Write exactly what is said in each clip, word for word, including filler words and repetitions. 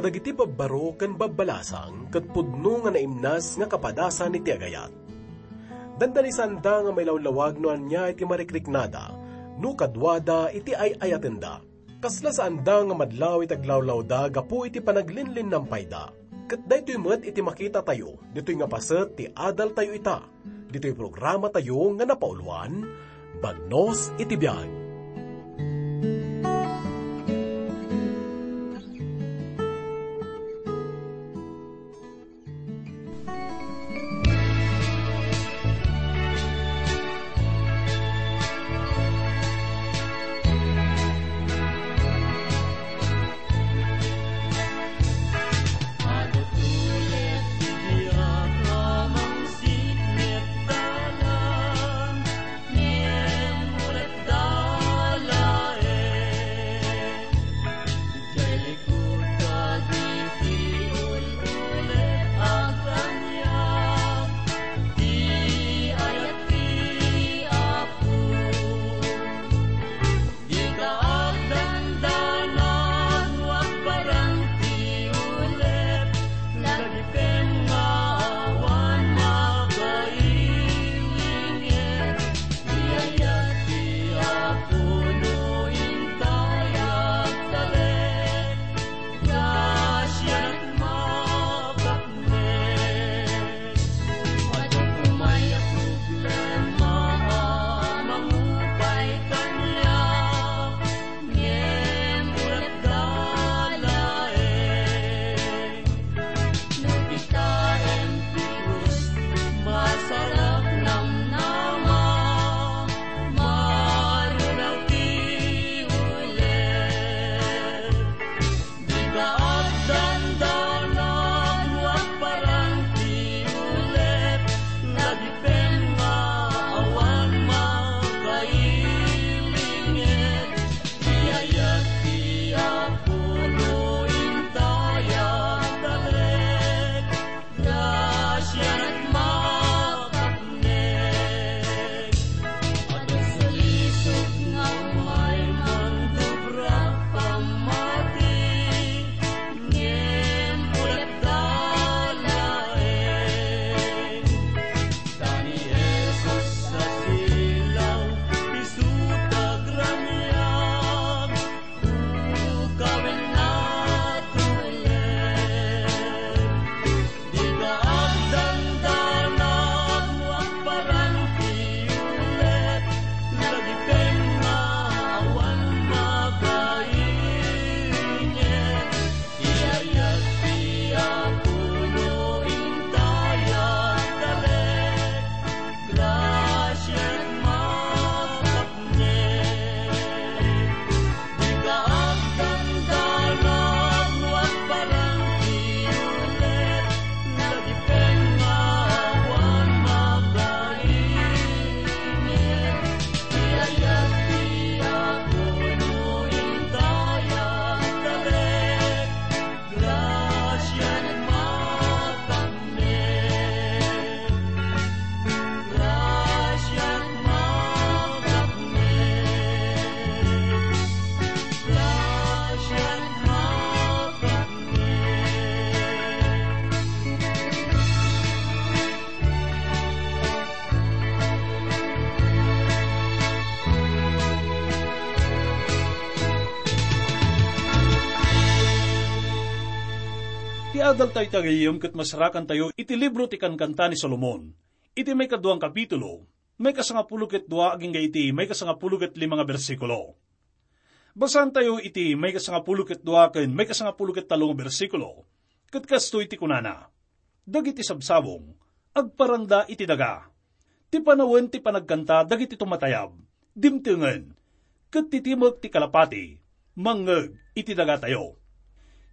Dagiti babbaro ken babbalasang ket pudno nga naimnas nga kapadasan iti agayat. Dandani saanda nga mailawlawag no ania iti marikriknada, no kaduada iti ay-ayatenda. Kasla saanda nga madlaw iti aglawlawda gapu iti panaglinlinnampayda. Ket daytoy met iti makitatayo, ditoy nga paset ti adaltayo ita. Ditoy programatayo nga napauluan, Bagnos iti Biag. Dika agdandanag no agparang ti ulep, lagipem nga awan makailingir. Iyayat ti Apo no intay agtalek, grasianak mapaknek. Adu pay a problema a mangupay kaniak, ngem ulep da laeng. No kitaem ti krus, masarap namnama, marunak ti ulep. Dika agdandanag no agparang ti ulep, lagipem nga awan makailingir. Iyayat ti Apo no intay agtalek, grasianak mapaknek. Adda salisog nga umay mandubra pammati, ngem ulep da laeng. Ta ni Jesus a silaw, isu ti agramiam, ulo ken natulem. Dika agdandanag no agparang ti ulep, lagipem nga awan makailingir. Iyayat ti Apo no intay agtalek, grasianak mapaknek. Dika agdandanag no agparang ti ulep, lagipem nga awan makailingir. Iyayat ti Apo no intay agtalek, grasianak mapaknek. Grasianak mapaknek. Grasianak mapaknek. Ti adaltayo iti agayem ket masarakantayo iti libro ti Kankanta ni Solomon, iti maikadua a kapitulo, maikasangapulo ket dua agingga iti maikasangapulo ket lima nga bersikulo. Basaantayo iti maikasangapulo ket dua ken maikasangapulo ket tallo nga bersikulo, ket kastoy ti kunana, "Dagiti sabsabong, agparangda iti daga. Ti panawen ti panagkanta dagiti tumatayab, dimtengen, ket ti timek ti kalapati, mangngeg iti dagatayo.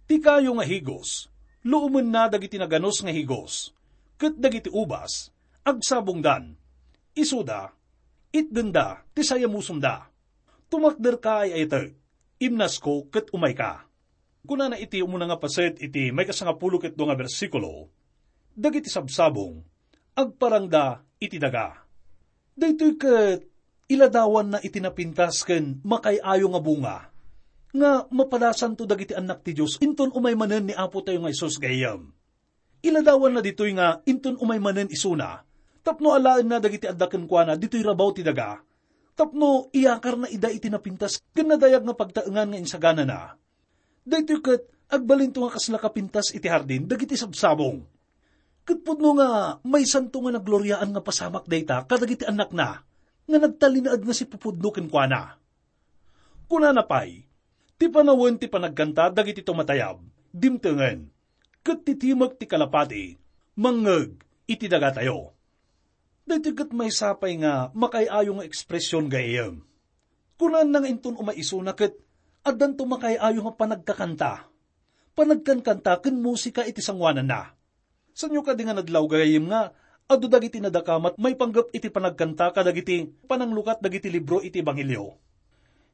Ti kayo nga higos, luomenna dagiti naganus nga higos, ket dagiti ubas, agsabongdan. Isuda, itdenda ti sayamusomda. Tumakderka, ay-ayatek, imnasko ket umayka." Kunana iti umuna nga paset iti maikasangapulo ket dua nga bersikulo, "Dagiti sabsabong, agparangda iti daga." Daytoy ket iladawanna iti napintas ken makaay-ayo nga bunga. nga mapadasanto dagiti annak ti Dios inton umay manen ni Apo tayo nga Jesus gayyem. Iladawanna ditoy nga inton umay manen isuna, tapno alaenna dagiti adda kenkuana ditoy rabaw ti daga, tapno iyakarna ida iti napintas ken nadayag nga pagtaengan nga insaganana. Daytoy ket agbalinto nga kasla kapintas iti hardin dagiti sabsabong. Ket pudno nga maysanto nga nagloriaan nga pasamak dayta kadagiti annakna nga nagtalinaed nga sipupudno kenkuana. Kunana pay, "Ti panawen ti panagkanta dagiti tumatayab, dimtengen, ket ti timek ti kalapati, mangngeg iti dagatayo." Daytoy ket maysa pay nga makaay-ayo nga ekspresion gayyem. Kunaanna nga inton umay isuna ket addanto makaay-ayo nga panagkakanta, panagkankanta ken musika iti sangoananna. Saanyo kadi nga nadlaw gayyem nga adu dagiti nadakamat maipanggep iti panagkanta kadagiti pananglukat dagiti libro iti Ebanghelio?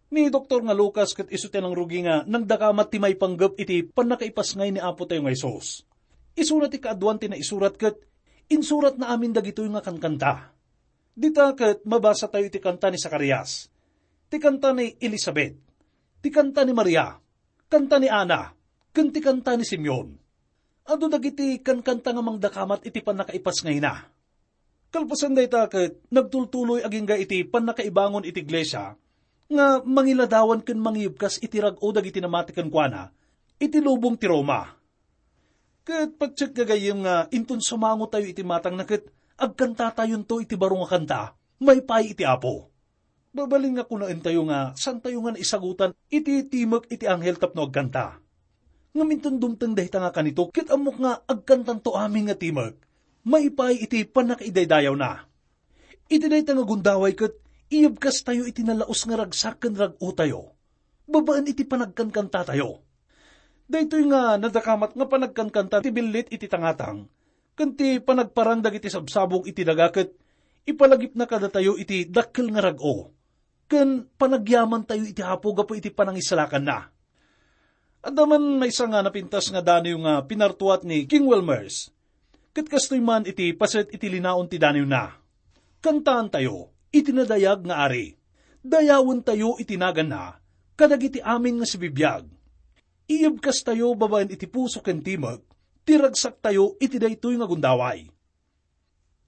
Ni Doktor nga Lucas ket isu ti nangrugi nga nangdakamat ti maipanggep iti pannakaipasngay ni Apo tayo nga Jesus. Isuna ti kaaduan ti naisurat ket insuratna amin dagitoy nga kankanta. Dita ket mabasa tayo iti kanta ni Zacarias, ti kanta ni Elisabet, ti kanta ni Maria, kanta ni Ana, ken ti kanta ni Simeon. Adu dagiti kankanta nga mangdakamat iti pannakaipasngayna. Kalpasan dayta ket nagtultuloy agingga iti pannakaibangon iti iglesia nga mangiladawan ken mangiyebkas iti rag-o dagiti namati kenkuana iti lubong ti Roma. Ket patiek gagayyem nga inton sumango tayo iti matangna ket agkantatayonto iti baro nga kanta, maipaay iti Apo. Babalin nga kunaentayo nga saantayo nga naisagutan iti timek iti anghel tapno agkanta. Ngem inton dumteng dayta nga kanito, ket ammok nga agkantanto amin nga timek, maipaay iti pannakaidaydayawna. Iti dayta nga gundaway ket iyebkastayo iti nalaus nga ragsak ken rag-otayo, babaen iti panagkankantatayo. Daytoy nga nadakamat nga panagkankanta ti billit iti tangatang, ken ti panagparang dagiti sabsabong iti daga ket ipalagipna kadatayo iti dakkel nga rag-o, ken panagyamantayo iti Apo gapu iti panangisalakanna. Adda man maysa nga napintas nga daniw nga pinartuat ni King Wilmers, ket kastoy man iti paset iti linaon ti daniwna. Kantaantayo iti nadayag nga ari. Dayawentayo iti naganna kadagiti amin nga sibibiag. Iyebkastayo babaen iti puso ken timek ti ragsaktayo iti daytoy nga gundaway.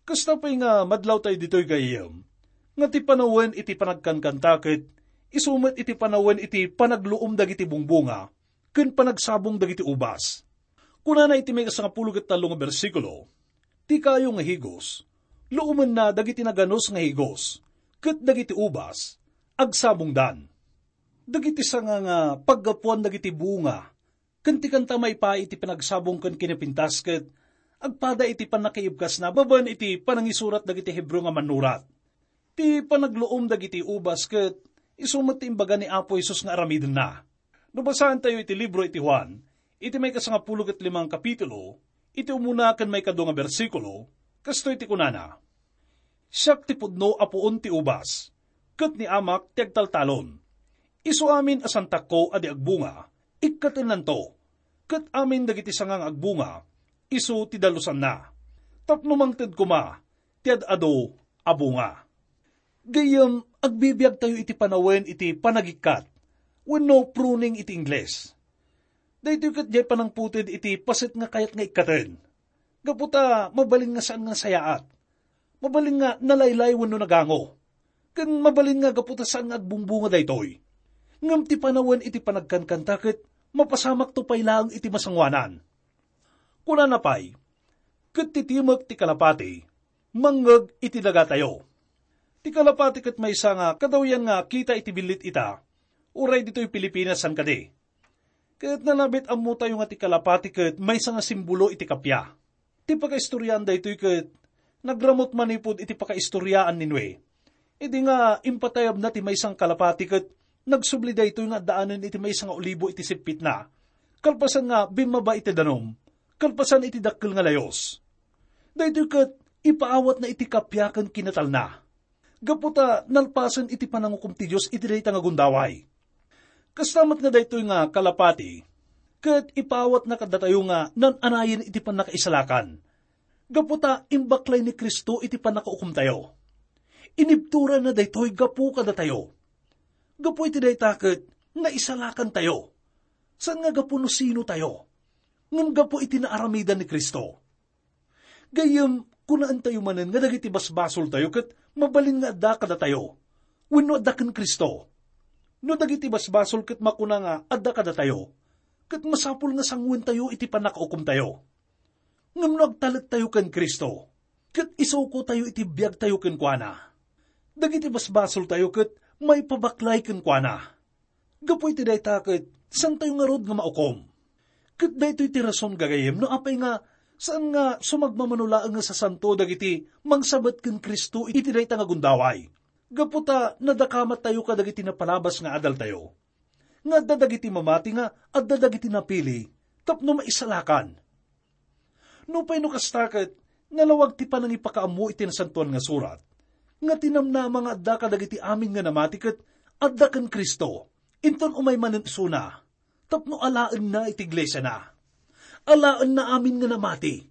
Kasta pay nga madlawtayo ditoy gayyem, nga ti panawen iti panagkankanta ket isu met iti panawen iti panagluom dagiti bungbunga ken panagsabong dagiti ubas. Kunana iti maikasangapulo ket tallo nga bersikulo, "Ti kayo nga higos, luomenna dagiti naganus nga higos, ket dagiti ubas, agsabongdan." Dagiti sanga nga paggapuan dagiti bunga ken ti kanta maipaay iti panagsabong ken kinapintas ket agpada iti pannakaibkasna babaen iti panangisurat dagiti Hebreo nga mannurat. Ti panagluom dagiti ubas ket isu met ti imbaga ni Apo Jesus nga aramidenna. No basaentayo iti libro iti Juan, iti maikasangapulo ket limang kapitulo, iti umuna ken maikadu nga bersikulo, kastoy ti kunana, "Siak ti pudno a puon ti ubas, ket ni Amak ti agtaltalon. Isu amin a santakko a di agbunga, ikkatennanto, ket amin dagiti sanga nga agbunga, isu ti dalusanna, tapno mangted koma ti ad-adu a bunga." Gayyem, agbibiagtayo iti panawen iti panagikkat, wenno pruning iti Ingles. Daytoy ket diay panangputed iti paset nga kayat nga ikkaten. Gapu ta mabalin nga saan nga nasayaat. Mabalin nga nalaylay wenno nagango. Ken mabalin nga gapu ta saan nga agbungbunga daytoy. Ngem ti panawen iti panagkankanta ket mapasamakto pay laeng iti masangoanan. Kunana pay, "Ket ti timek ti kalapati, mangngeg iti dagatayo." Ti kalapati ket maysa nga kadawyan nga kita iti billit ita, uray ditoy Pilipinas saan kadi. Ket nanabit ammotayo nga ti kalapati ket maysa nga simbolo iti kappia. Ti pakaistoriaan daytoy ket nagramut manipud iti pakaistoriaan ni Noe. Idi nga impatayabna ti maysa nga kalapati ket nagsubli daytoy nga addaanen iti maysa nga olibo iti sippitna. Kalpasan nga bimmaba iti danum, kalpasan iti dakkel nga layus. Daytoy ket ipaawatna iti kappia ken kinatalna. Gapu ta nalpasen iti panangukom ti Dios iti dayta nga gundaway. Kasta met nga daytoy nga kalapati, ket ipaawatna kadatayo nga nan-anayen iti pannakaisalakan. Gapu ta imbaklay ni Cristo iti pannakaukomtayo. Inibturanna daytoy gapu kadatayo. Gapu iti dayta ket naisalakantayo. Saan nga gapu no sinotayo, ngem gapu iti naaramidan ni Cristo. Gayyem, kunaentayo manen nga dagiti basbasoltayo ket mabalin nga adda kadatayo, wenno adda ken Cristo. No dagiti basbasol ket makuna nga adda kadatayo, ket masapul nga sanguentayo iti pannakaukomtayo. Ngem no agtalettayo ken Cristo, ket isukotayo iti biagtayo kenkuana, dagiti basbasoltayo ket maipabaklay kenkuana. Gapu iti dayta ket saantayo ngarud nga maukom. Ket daytoy ti rason, gagayyem, no apay nga saan nga sumagmamano laeng nga sasanto dagiti mangsabet ken Cristo iti dayta nga gundaway. Gapu ta nadakamattayo kadagiti napalabas nga adaltayo, nga adda dagiti mamati nga adda dagiti napili tapno maisalakan. Nupay no kasta ket, nalawag ti panangipakaammo iti Nasantoan nga Surat, nga ti namnama nga adda kadagiti amin nga namati ket adda ken Cristo, inton umay manen isuna, tapno alaenna iti iglesiana. Alaenna amin nga namati.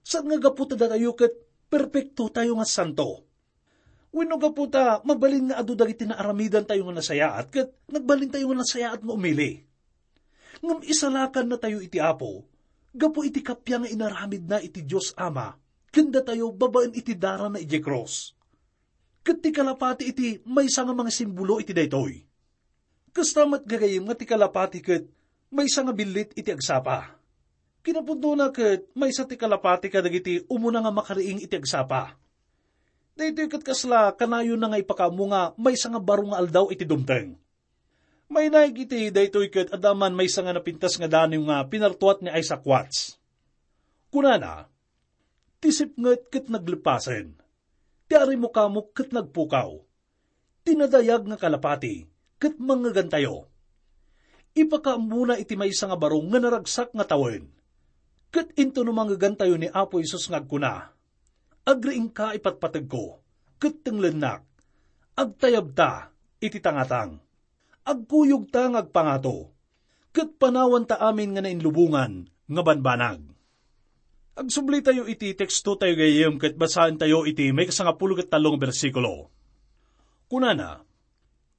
Saan nga gapu ta datayo ket perpektotayo nga santo. Wenno gapu ta mabalin nga adu dagiti naaramidantayo nga nasayaat ket nagbalintayo nga nasayaat nga umili. Ngem isalakannatayo iti Apo gapu iti kappia nga inaramidna iti Dios Ama ken datayo babaen iti darana idiay krus. Ket ti kalapati iti maysa nga mangisimbolo iti daytoy. Kasta met, gagayyem, nga ti kalapati ket maysa nga billit iti agsapa. Kinapudnona ket maysa ti kalapati kadagiti umuna nga makariing iti agsapa. Daytoy ket kasla kanayonna nga ipakaammo nga maysa nga baro nga aldaw iti dumteng. Mainaig iti daytoy ket adda man maysa nga napintas nga daniw nga pinartuat ni Isaac Watts. Kunana, "Ti sipnget ket nagleppasen, ti arimukamo ket nagpukaw, ti nadayag nga kalapati ket mangngegantayo." Ipakaammona iti maysa nga baro nga naragsak nga tawen. Ket inton no mangngegantayo ni Apo Jesus nga agkuna, "Agriingka, ipatpategko, ket tenglennak. Agtayabta iti tangatang. Agkuyogta nga agpangato, ket panawanta amin nga nainlubongan nga banbanag." Agsublitayo iti tekstotayo gayyem ket basaentayo iti maikasangapulo ket tallo nga bersikulo. Kunana,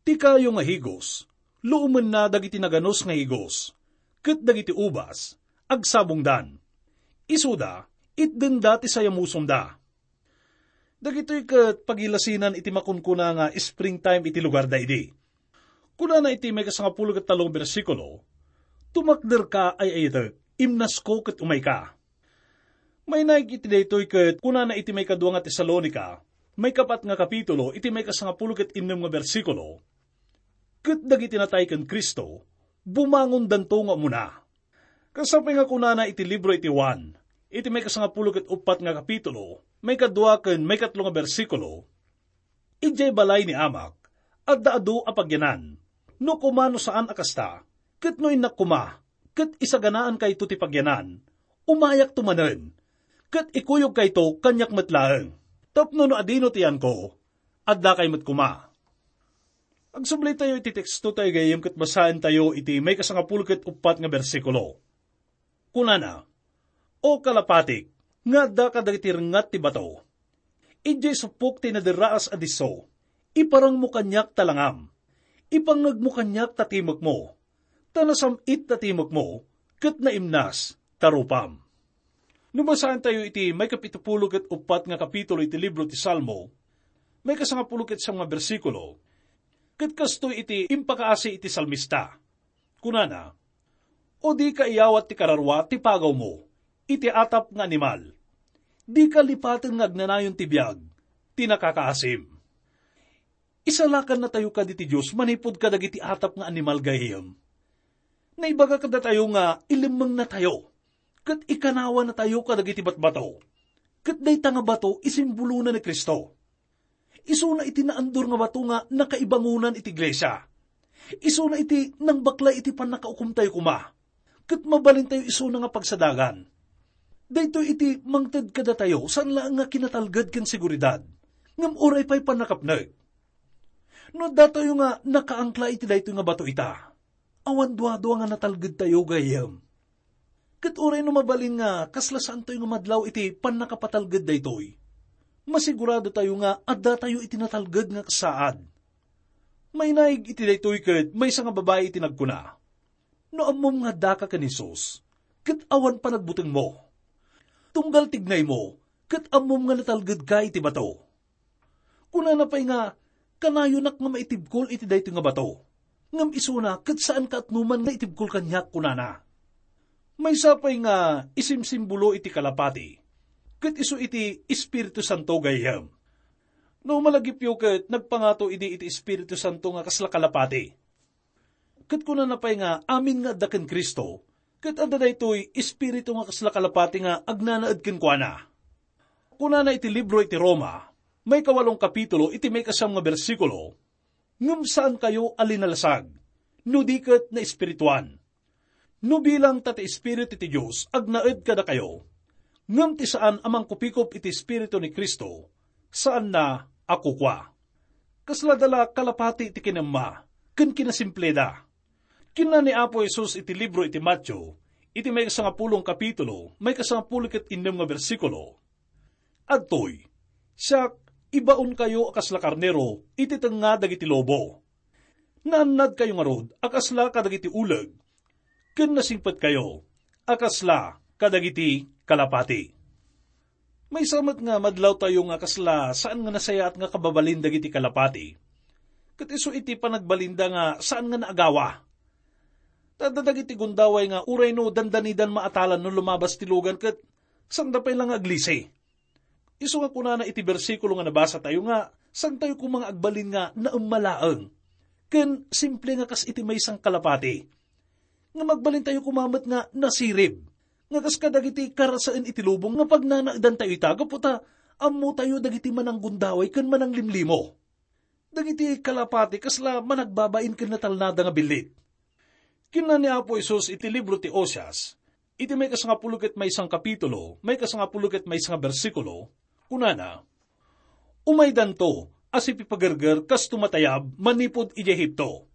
"Ti kayo nga higos, luomenna dagiti naganus nga higos, ket dagiti ubas, agsabongdan. Isuda, itdenda ti sayamusonda." Dagitoy ket pagilasinan iti makunkuna nga springtime iti lugarda idi. Kunana iti maikasangapulo ket tallo nga bersikulo, "Tumakderka, ay-ayatek, imnasko ket umayka." Mainaig iti daytoy ket kunana iti maikadua nga Tesalonica, maikapat nga kapitulo, iti maikasangapulo ket innem nga bersikulo, "Ket dagiti natay ken Cristo, bumangondanto nga umuna." Kas apay nga kunana iti libro iti Juan, iti maikasangapulo ket uppat nga kapitulo, maikadua ken maikatlo nga bersikulo, "Idiay balay ni Amak, adda adu a pagyanan. No koma no saan a kasta, ket no innak koma, ket isaganankayto ti pagyanan, umayakto manen, ket ikuyogkayto kaniak met laeng, tapno no adino ti yanko, addakay met koma." Agsublitayo iti tekstotayo gayyem ket basaentayo iti maikasangapulo ket uppat nga bersikulo. Kunana, "O kalapatik, nga adda kadagiti rengngat ti bato, idiay suppok ti naderraas a disso, iparangmo kaniak ta langam, ipangngegmo kaniak ta timekmo, ta nasam-it ta timekmo, ket naimnas ta rupam." No basaentayo iti maikapitupulo ket uppat nga kapitulo iti libro ti Salmo, maikasangapulo ket siam nga bersikulo, ket kastoy iti impakaasi iti salmista. Kunana, "O dika iyawat ti kararua ti pagawmo iti atap nga animal. Dika lipaten nga agnanayon ti biag ti nakakaasim." Isalakannatayo kadi ti Dios manipud kadagiti atap nga animal gayyem. Naibaga kadatayo nga ilimmengnatayo ket ikanawannatayo kadagiti batbato. Ket dayta nga bato, isimbolona ni Cristo. Isuna iti naandur nga bato nga nakaibangonan iti iglesia. Isuna iti nangbaklay iti pannakaukomtayo koma, ket mabalintayo isuna nga pagsadagan. Daytoy iti mangted kadatayo, saan laeng nga kinatalged ken seguridad, ngem uray pay pannakapnek. No addatayo nga nakaangkla iti daytoy nga bato ita, awan duadua nga natalgedtayo gayyem. Ket uray no mabalin nga kasla saantayo nga madlaw iti pannakapatalged daytoy, masiguradotayo nga addatayo iti natalged nga kasaad. Mainaig iti daytoy ket maysa nga babai iti nagkuna, "No ammom nga addaka ken Jesus, ket awan panagbutengmo. Tunggal tignaymo, ket ammom nga natalgedka iti bato." Kunana pay nga, "Kanayonak nga maitibkol iti daytoy nga bato. Ngem isuna, ket saanka atnuman nga itibkol kaniak," kunana. Maysa pay nga isimsimbolo iti kalapati, ket isu iti Espiritu Santo gayyem. No malagipyo ket nagpangato idi iti Espiritu Santo nga kasla kalapati. Ket kunana pay nga amin nga adda ken Cristo, ket adda daytoy Espiritu nga kasla kalapati nga agnanaed kenkuana. Kunana iti libro iti Roma, maikawalong kapitulo iti maikasiam nga bersikulo, "Ngem saankayo a linalasag, no di ket naespirituan. No bilang ta ti Espiritu ti Dios agnaed kadakayo, ngem ti saan a mangkupikop iti Espiritu ni Cristo, saanna a kukua." Kasla dala kalapati ti kinamma ken kinasimpleda. Kinuna ni Apo Jesus iti libro iti Mateo, iti maikasangapulong kapitulo, maikasangapulo ket innem nga bersikulo, "Adtoy, siak, ibaonkayo a kasla karnero iti tengnga dagiti lobo. Naannadkayo ngarud a kasla kadagiti uleg, ken nasingpetkayo a kasla kadagiti kalapati." Maysa met nga madlawtayo nga kasla saan nga nasayaat nga kababalin dagiti kalapati. Ket isu iti panagbalinda nga saan nga naagawa. Ta adda dagiti gundaway nga uray no dandanidan maatalan no lumabas ti lugan ket sanda pay la nga aglisi. Isu nga kunana iti bersikulo nga nabasatayo nga saantayo koma nga agbalin nga naemmalaeng ken simple nga kas iti maysa nga kalapati. Ngem agbalintayo koma met nga nasirib, nga kas kadagiti karasaen iti lubong nga pagnanaedantayo ita gapu ta ammotayo dagiti mananggundaway ken mananglimlimo. Dagiti kalapati kasla managbabain ken natalnada nga billit. Kinuna ni Apo Jesus iti libro ti Oseas, iti maikasangapulo ket maysa nga kapitulo, maikasangapulo ket maysa nga bersikulo, kunana, "Umaydanto a sipipagerger kas tumatayab manipud idiay Egipto,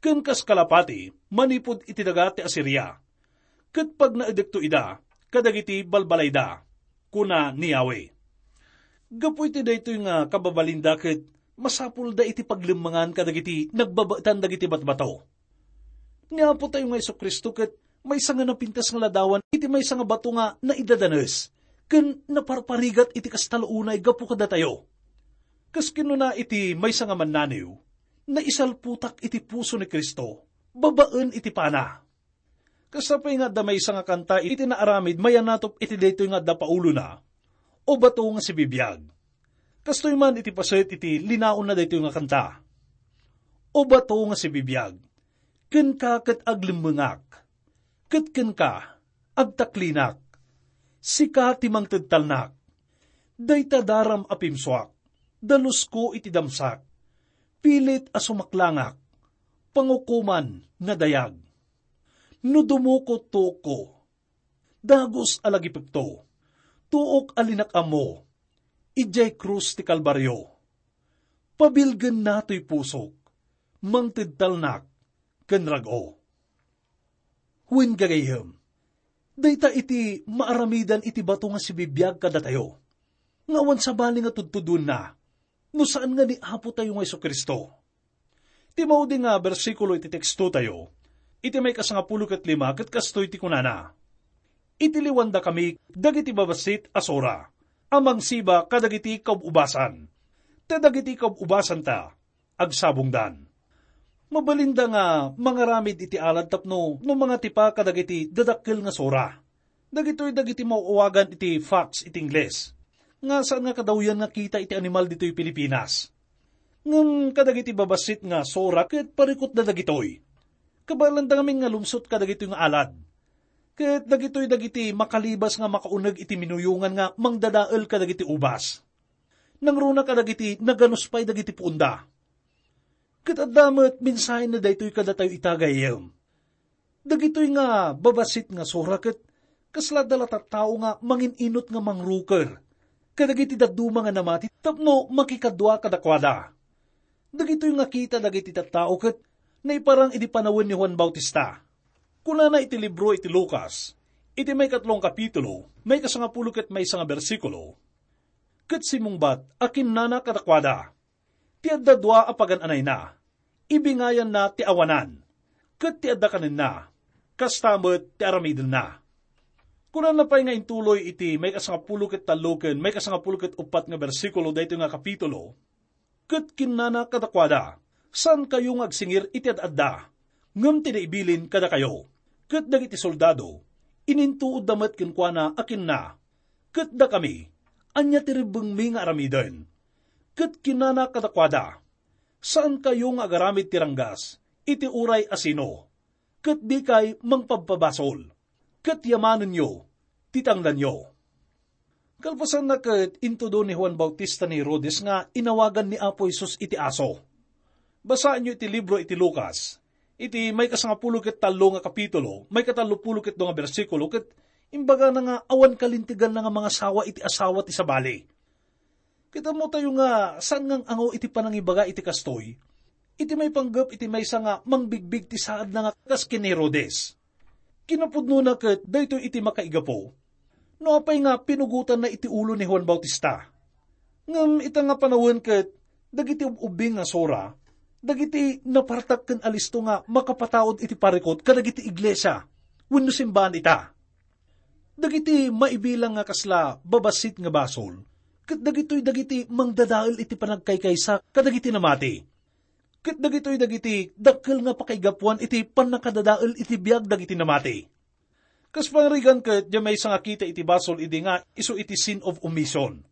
ken kas kalapati manipud iti daga ti Asiria, ket pagnaedekto ida kadagiti balbalayda," kuna ni Yahweh. Gapu iti daytoy nga kababalinda ket masapulda iti paglemmengan kadagiti nagbabaetan dagiti batbato. Ni Apo tayo nga Jesu-Cristo ket maysa nga napintas nga ladawan iti maysa nga bato nga naidadanes ken naparparigat iti kasta la unay gapu kadatayo. Kas kinuna iti maysa nga mannaniw, "Naisalputak iti puso ni Cristo babaen iti pana." Kasta pay nga adda maysa nga kanta iti naaramid mayanatop iti daytoy nga adda paulona, "O bato nga sibibiag." Kastoy man iti paset iti linaonna daytoy nga kanta, "O bato nga sibibiag, kenka ket aglemmengak, ket kenka agtaklinak. Sika ti mangted talnak. Dayta daram a pimsuak, dalusko iti damsak. Pilit a sumaklangak, pangukoman nadayag. No dumukot tuokko, dagus a lagipekto, tuok a linak-ammo, idiay krus ti Kalbario. Pabilgenna toy pusok, mangted talnak ken rag-o." Wen gagayyem, dayta iti maaramidan iti bato nga sibibiag kadatayo, nga awan sabali nga tudtuduenna, no saan nga ni Apo tayo nga Jesu-Cristo. Ti maudi nga bersikulo iti teksto tayo, iti maikasangapulo ket lima ket kastoy ti kunana, "Iti liwandakami dagiti babassit a sura a mangsiba kadagiti kaub-ubasan, ta dagiti kaub-ubasanta agsabongdan." Mabalinda nga mangaramid iti alad tapno no mangatipa kadagiti dadakkel nga sura. Dagitoy dagiti maawagan iti facts iti Ingles, nga saan nga kadawyan nga kita iti animal ditoy Pilipinas. Ngem kadagiti babassit nga sura ket parikutda dagitoy. Kabaelanda ngamin nga lumsot kadagitoy nga alad. Ket dagitoy dagiti makalibas nga makauneg iti minuyongan nga mangdadael kadagiti ubas. Nangruna kadagiti naganuspay dagiti puonda. Ket adda met mensahenna daytoy kadatayo ita, gayyem. Dagitoy nga babassit nga sura ket kasla dala tattao nga mangin-inut nga mangruker kadagiti dadduma nga namati tapno makikadua kadakuada. Dagitoy nga kita dagiti tattao ket naiparang idi panawen ni Juan Bautista. Kunana iti libro iti Lucas, iti maikatlong kapitulo, maikasangapulo ket maysa nga bersikulo, ket simmungbat a kinnana kadakuada, "Ti adda dua a pagan-anayna, ibingayanna ti awanan, ket ti adda kanenna, kasta met ti aramidenna. Kunana pay nga intuloy iti maikasangapulo ket tallo ken maikasangapulo ket uppat nga bersikulo daytoy nga kapitulo, ket kinnana kadakuada, "Saankayo nga agsingir iti ad-adda, ngem ti naibilin kadakayo." Ket dagiti soldado, inintuodda met kenkuana a kinna, "Ket dakami, ania ti rebbengmi nga aramiden?" Ket kinnana kadakuada, "Saankayo nga agaramid ti ranggas iti uray a sino, ket dikay mangpabpabasol, ket yamanenyo ti tangdanyo." Kalpasanna ket intudo ni Juan Bautista ni Herodes nga inawagan ni Apo Jesus iti aso. Basaenyo iti libro iti Lucas, iti maikasangapulo ket tallo nga kapitulo, maikatallopulo ket dua nga bersikulo, ket imbagana nga awan kalinteganna nga mangasawa iti asawa ti sabali. Ket ammotayo nga saan nga ang-angaw iti panangibaga iti kastoy, iti maipanggep iti maysa nga mangbigbig ti saadna nga kas ken ni Herodes. Kinapudnona ket daytoy iti makaigapu, no apay nga pinugotanna iti ulo ni Juan Bautista. Ngem ita nga panawen ket dagiti ub-ubbing nga sura, dagiti napartak ken alisto nga makapataud iti parikut kadagiti iglesia wenno simbaan ita. Dagiti maibilang nga kasla babassit nga basol, ket dagitoy dagiti mangdadael iti panagkaykaysa kadagiti namati. Ket dagitoy dagiti dakkel nga pakaigapuan iti pannakadadael iti biag dagiti namati. Kas pangarigan ket diay maysa nga kita iti basol idi nga isu iti sin of omission.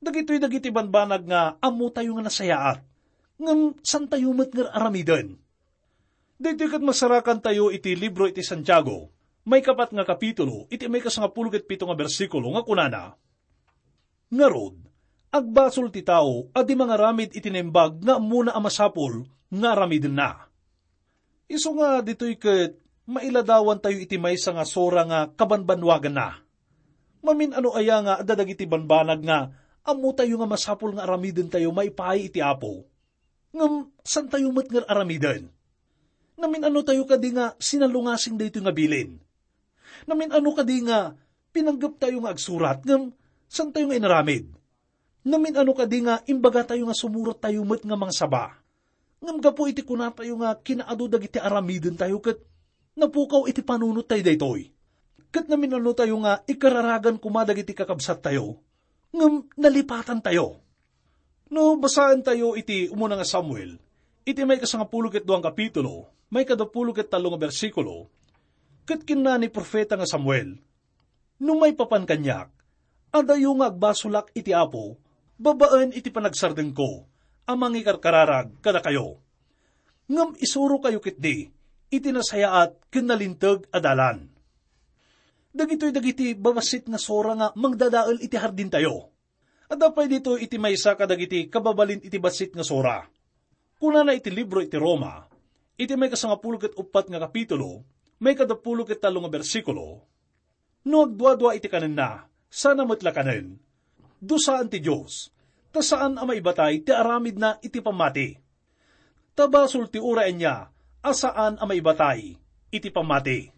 Dagitoy dagiti banbanag nga ammotayo nga nasayaat, ngem santayo met nga aramiden. Daytoy ket masarakantayo iti libro iti Santiago, maikapat nga kapitulo, iti maikasangapulo ket pito nga bersikulo nga kunana, "Ngarud, agbasol ti tao a di mangaramid iti naimbag nga ammona a masapul nga aramidenna." Isu nga ditoy ket mailadawantayo iti maysa nga sura nga kabanbanwaganna. Mamin-ano aya nga adda dagiti banbanag nga ammotayo nga masapul nga aramidentayo maipaay iti Apo? Ngem santayo met nga aramiden. Namin-ano tayo kadi nga sinalungasing daytoy nga bilin? Namin-ano kadi nga pinanggep tayo nga agsurat ngem santayo nga inaramid? Namin-ano kadi nga imbaga tayo nga sumurat tayo met nga mangsaba? Ngem gapu iti kunatayo nga kinaadu dagiti aramiden tayo ket napukaw iti panunot tayo daytoy. Ket namin-ano tayo nga ikararagan koma dagiti kakabsat tayo, ngem nalipatan tayo. No basaen tayo iti umuna nga Samuel, iti maikasangapulo ket duang kapitulo, maikadapulo ket tallo nga bersikulo, ket kinna ni profeta nga Samuel, "No maipapan kaniak, adayo nga agbasolak iti Apo babaen iti panagsardengko a mangikarkararag kadakayo. Ngem isurokayo ketdi iti nasayaat ken nalinteg a dalan." Dagitoy dagiti babassit nga sura nga mangdadael iti hardintayo. Adda pay ditoy iti maysa kadagiti kababalin iti bassit nga sura. Kunana iti libro iti Roma, iti maikasangapulo ket uppat nga kapitulo, maikadapulo ket tallo nga bersikulo, "No agduadua iti kanenna, sana met la kanen. Dusaan ti Dios, ta saan a maibatay ti aramidna iti pammati. Ta basol ti uray ania a saan a maibatay iti pammati."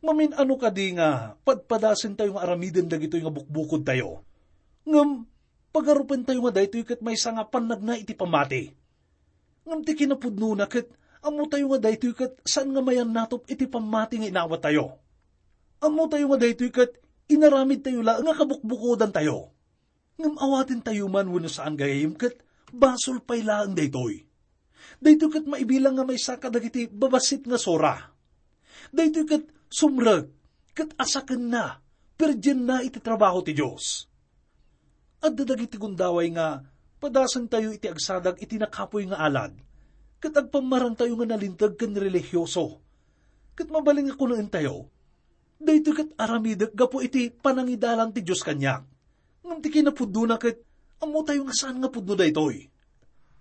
Mamin-ano kadi nga padpadasentayo nga aramiden dagitoy nga bukbukodtayo? Ngem pagarupentayo nga daytoy ket maysa nga pannagna iti pammati. Ngem ti kinapudnona ket ammotayo nga daytoy ket saan nga mayannatop iti pammati nga inawatayo. Ammotayo nga daytoy ket inaramidtayo la nga kabukbukodantayo. Ngem awatentayo man wenno saan gayam ket basol pay laeng daytoy. Daytoy ket maibilang nga maysa kadagiti babassit nga sura. Daytoy ket sumrek ket asakenna, perdienna iti trabaho ti Dios. Adda dagiti gundaway nga padasentayo iti agsadag iti nakapuy nga alad, ket agpammarantayo nga nalinteg ken relihioso. Ket mabalin nga kunaentayo, "Daytoy ket aramidek gapu iti panangidalan ti Dios kaniak." Ngem ti kinapudnona ket ammotayo nga saan nga pudno daytoy.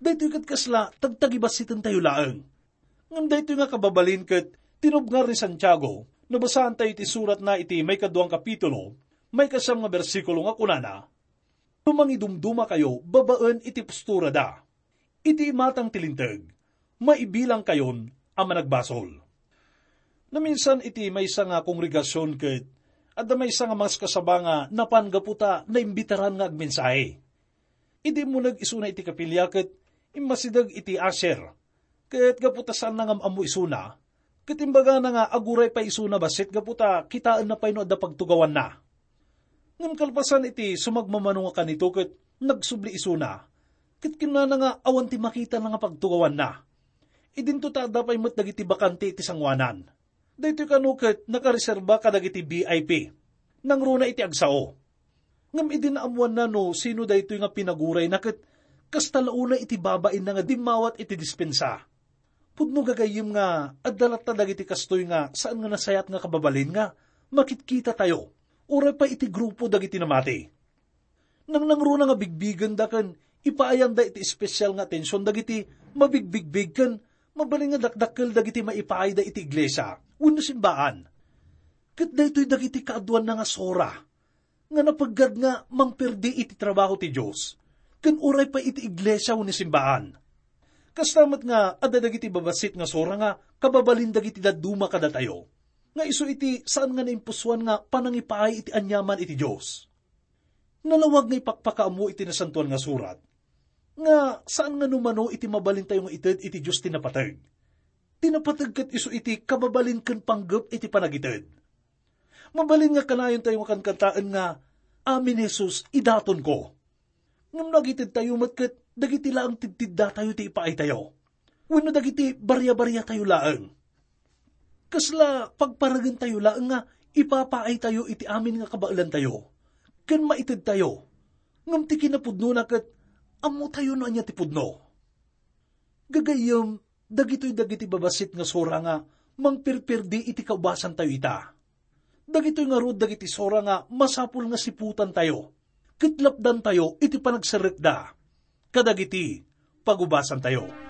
Daytoy ket kasla tagtagibassitentayo laeng. Ngem daytoy nga kababalin ket tinubngar ni Santiago no basaantayo iti suratna iti maikaduang kapitulo, maikasiam nga bersikulo nga kunana, "No mangidumdumakayo babaen iti posturada, iti imatang ti linteg, maibilangkayon a managbasol." Naminsan iti maysa nga kongregasion ket adda maysa nga maskasaba nga napan gapu ta naimbitaran nga agmensahe. Idi immuneg isuna iti kapilya ket immasideg iti usher Ket gapu ta saanna nga am-ammo isuna, ket imbagana nga aguray pay isuna bassit gapu ta kitaenna pay no adda pagtugawanna. Ngem kalpasan iti sumagmamano nga kanito ket nagsubli isuna, ket kinunana nga awan ti makitana nga pagtugawanna. Idinto ta adda pay met dagiti bakante iti sangoanan. Daytoy kano ket nakareserba kadagiti V I P. Nangruna iti agsao. Ngem idi naammoanna no sino daytoy nga pinagurayna ket kasta la unay iti babainna nga dimmawat iti dispensa. Pudno gagayyem nga adda latta dagiti kastoy nga saan nga nasayaat nga kababalin nga makitkitatayo, uray pay iti grupo dagiti namati. Nangnangruna nga bigbigenda ken ipaayanda iti espesial nga atension dagiti mabigbigbig ken mabalin nga dakdakkel dagiti maipaayda iti iglesia wenno simbaan. Ket daytoy dagiti kaaduanna nga sura nga napeggad nga mangperdi iti trabaho ti Dios ken uray pay iti iglesia wenno simbaan. Kasta met nga adda dagiti babassit nga sura nga kababalin dagiti dadduma kadatayo, nga isu iti saan nga naimpusoan nga panangipaay iti aniaman iti Dios. Nalawag nga ipakpakaammo iti Nasantoan nga Surat nga saan nga no mano iti mabalintayo nga ited iti Dios ti napateg. Ti napateg ket isu iti kababalin ken panggep iti panagited. Mabalin nga kanayontayo nga kankantaen nga, "Amin, Jesus, idatonko." Ngem no agitedtayo met ket dagiti laeng tidtiddatayo ti ipaaytayo, wenno dagiti bariabariatayo laeng. Kasla pagparagentayo laeng nga ipapaaytayo iti amin nga kabaelantayo ken maitedtayo, ngem ti kinapudnona ket ammotayo no ania ti pudno. Gagayyem, dagitoy dagiti babassit nga sura nga mangperperdi iti kaubasantayo ita. Dagitoy ngarud dagiti sura nga masapul nga siputantayo ket lapdantayo iti panagserrekda kadagiti pagubasantayo.